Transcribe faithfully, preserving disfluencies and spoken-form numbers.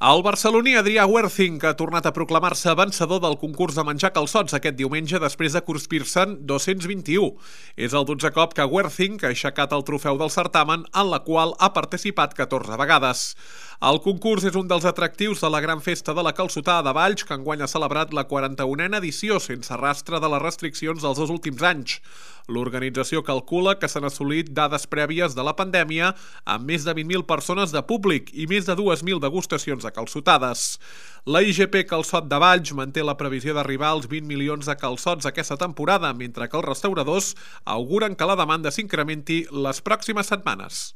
El barceloní Adrià Huercing ha tornat a proclamar-se vencedor del concurs de menjar calçots aquest diumenge després de cruspir-se'n dos-cents vint-i-u. És el dotzè cop que Huercing ha aixecat el trofeu del certamen, en la qual ha participat catorze vegades. El concurs és un dels atractius de la gran festa de la calçotada de Valls, que enguany ha celebrat la quaranta-unena edició sense rastre de les restriccions dels dos últims anys. L'organització calcula que s'han assolit dades prèvies de la pandèmia amb més de vint mil persones de públic i més de dues mil degustacions de calçotades. La I G P Calçot de Valls manté la previsió d'arribar als vint milions de calçots aquesta temporada, mentre que els restauradors auguren que la demanda s'incrementi les pròximes setmanes.